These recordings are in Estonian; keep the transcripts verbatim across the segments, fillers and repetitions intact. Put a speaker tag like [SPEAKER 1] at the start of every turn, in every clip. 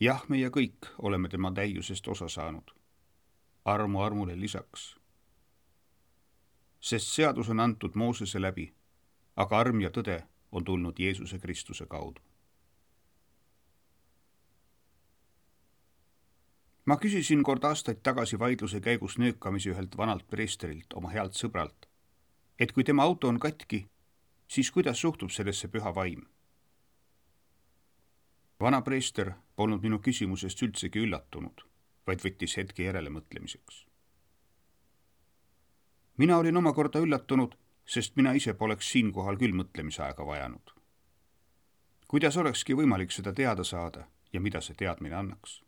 [SPEAKER 1] Jah, meie kõik oleme tema täiusest osa saanud. Armu armule lisaks. Sest seadus on antud Moosese läbi, aga arm ja tõde on tulnud Jeesuse Kristuse kaudu. Ma küsisin kord aastaid tagasi vaidluse käigus nöökamise ühelt vanalt preesterilt, oma healt sõbralt, et kui tema auto on katki, siis kuidas suhtub sellesse püha vaim? Vana preester polnud minu küsimusest üldsegi üllatunud, vaid võttis hetke järele mõtlemiseks. Mina olin omakorda üllatunud, sest mina ise poleks siinkohal küll mõtlemisaega vajanud. Kuidas olekski võimalik seda teada saada ja mida see teadmine annaks?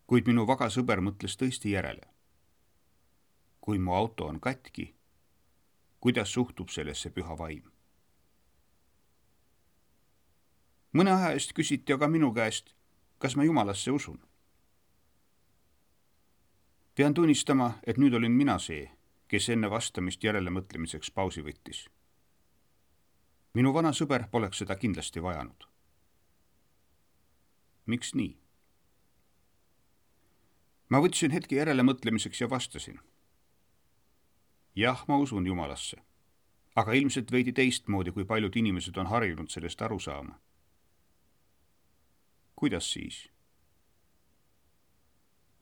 [SPEAKER 1] Kuid minu vaga sõber mõtles tõesti järele. Kui mu auto on katki, kuidas suhtub sellesse püha vaim? Mõne aja eest küsiti aga minu käest, kas ma Jumalasse usun. Pean tunnistama, et nüüd olin mina see, kes enne vastamist järele mõtlemiseks pausi võttis. Minu vana sõber poleks seda kindlasti vajanud. Miks nii? Ma võtsin hetke järele mõtlemiseks ja vastasin. Jah, ma usun Jumalasse, aga ilmselt veidi teistmoodi, kui paljud inimesed on harjunud sellest aru saama. Kuidas siis?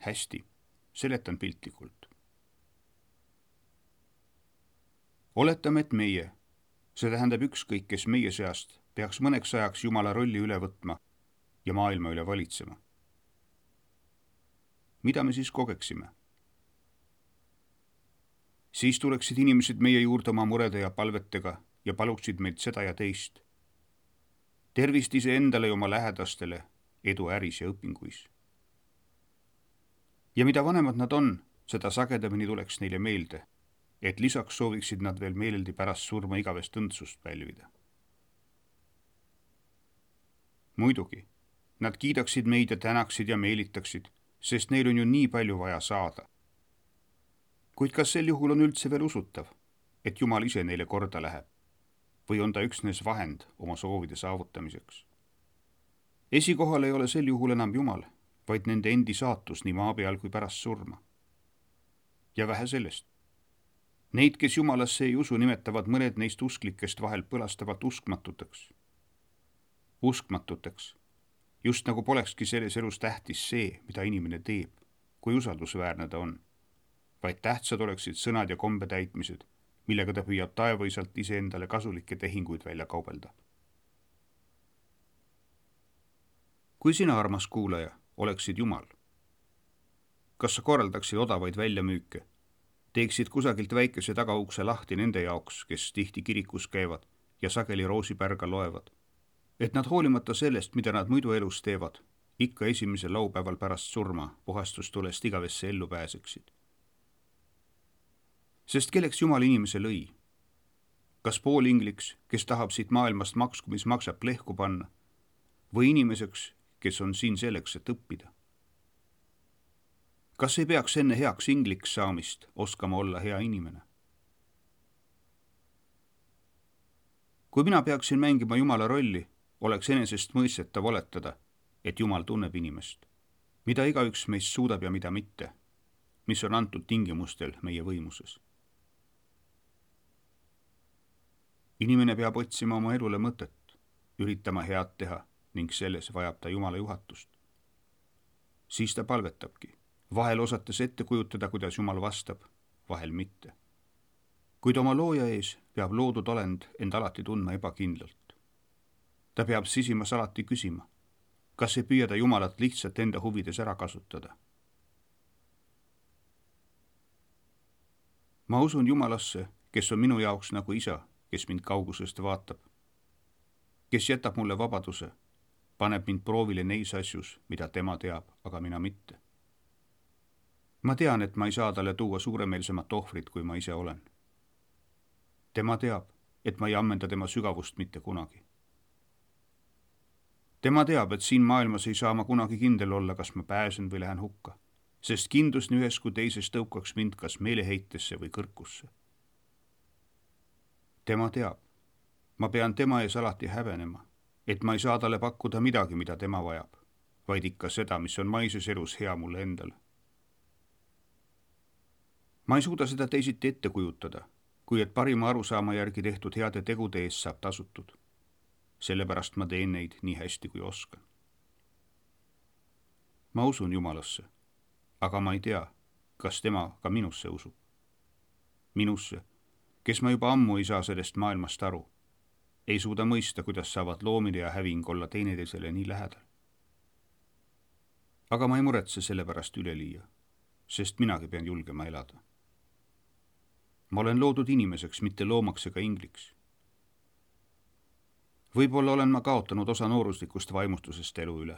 [SPEAKER 1] Hästi, seletan piltlikult. Oletame, et meie, see tähendab ükskõik, kes meie seast, peaks mõneks ajaks Jumala rolli üle võtma ja maailma üle valitsema. Mida me siis kogeksime? Siis tuleksid inimesed meie juurde oma murede ja palvetega ja paluksid meilt seda ja teist. Tervist ise endale ja oma lähedastele, edu äris ja õpinguis. Ja mida vanemad nad on, seda sagedamini tuleks neile meelde, et lisaks sooviksid nad veel meeleldi pärast surma igavest õndsust pälvida. Muidugi, nad kiidaksid meid ja tänaksid ja meelitaksid, sest neil on ju nii palju vaja saada. Kuid kas sel juhul on üldse veel usutav, et Jumal ise neile korda läheb, või on ta üksnes vahend oma soovide saavutamiseks? Esikohal ei ole sel juhul enam Jumal, vaid nende endi saatus nii maa peal kui pärast surma. Ja vähe sellest. Neid, kes Jumalasse ei usu, nimetavad mõned neist usklikest vahel põlastavalt uskmatuteks. Uskmatuteks. Just nagu polekski selles elus tähtis see, mida inimene teeb, kui usaldusväärne ta on, vaid tähtsad oleksid sõnad ja kombe täitmised, millega ta püüab taevaisalt iseendale kasulikke tehinguid välja kaubelda. Kui sina, armas kuulaja, oleksid Jumal, kas sa korraldaksid odavaid väljamüüke, teeksid kusagilt väikese tagaukse lahti nende jaoks, kes tihti kirikus käivad ja sageli roosipärga loevad, et nad hoolimata sellest, mida nad muidu elus teevad, ikka esimesel laupäeval pärast surma puhastustulest igavesse ellu pääseksid. Sest kelleks Jumal inimese lõi? Kas poolingliks, kes tahab siit maailmast maksku, mis maksab plehku panna, või inimeseks, kes on siin selleks, et õppida? Kas ei peaks enne heaks ingliks saamist oskama olla hea inimene? Kui mina peaksin mängima Jumala rolli, oleks enesest mõistetav oletada, et Jumal tunneb inimest, mida igaüks meist suudab ja mida mitte, mis on antud tingimustel meie võimuses. Inimene peab otsima oma elule mõtet, üritama head teha ning selles vajab ta Jumala juhatust. Siis ta palvetabki, vahel osates ette kujutada, kuidas Jumal vastab, vahel mitte. Kuid oma looja ees peab loodud olend end alati tundma ebakindlalt. Ta peab sisimas alati küsima, kas ei püüa ta Jumalat lihtsalt enda huvides ära kasutada. Ma usun Jumalasse, kes on minu jaoks nagu isa, kes mind kaugusest vaatab, kes jätab mulle vabaduse, paneb mind proovile neis asjus, mida tema teab, aga mina mitte. Ma tean, et ma ei saa talle tuua suuremeelsemat ohvrit, kui ma ise olen. Tema teab, et ma ei ammenda tema sügavust mitte kunagi. Tema teab, et siin maailmas ei saa ma kunagi kindel olla, kas ma pääsen või lähen hukka, sest kindlus nii ühes kui teises tõukaks mind kas meeleheitesse või kõrkusse. Tema teab, ma pean tema ees alati häbenema, et ma ei saa talle pakkuda midagi, mida tema vajab, vaid ikka seda, mis on maises elus hea mulle endale. ma ei suuda seda teisiti ette kujutada, kui et parima arusaama järgi tehtud heade tegude eest saab tasutud. Sellepärast ma teen neid nii hästi, kui oskan. ma usun Jumalasse, aga ma ei tea, kas tema ka minusse usub. Minusse, kes ma juba ammu ei saa sellest maailmast aru, ei suuda mõista, kuidas saavad loomine ja häving olla teineteisele nii lähedal. aga ma ei muretse selle pärast üleliia, sest minagi pean julgema elada. ma olen loodud inimeseks, mitte loomaks ega ingliks. võib-olla olen ma kaotanud osa nooruslikust vaimustusest elu üle.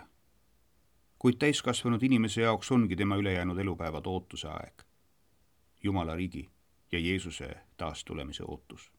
[SPEAKER 1] kuid täiskasvanud inimese jaoks ongi tema ülejäänud elupäevad ootuse aeg. Jumala riigi ja Jeesuse taastulemise ootus.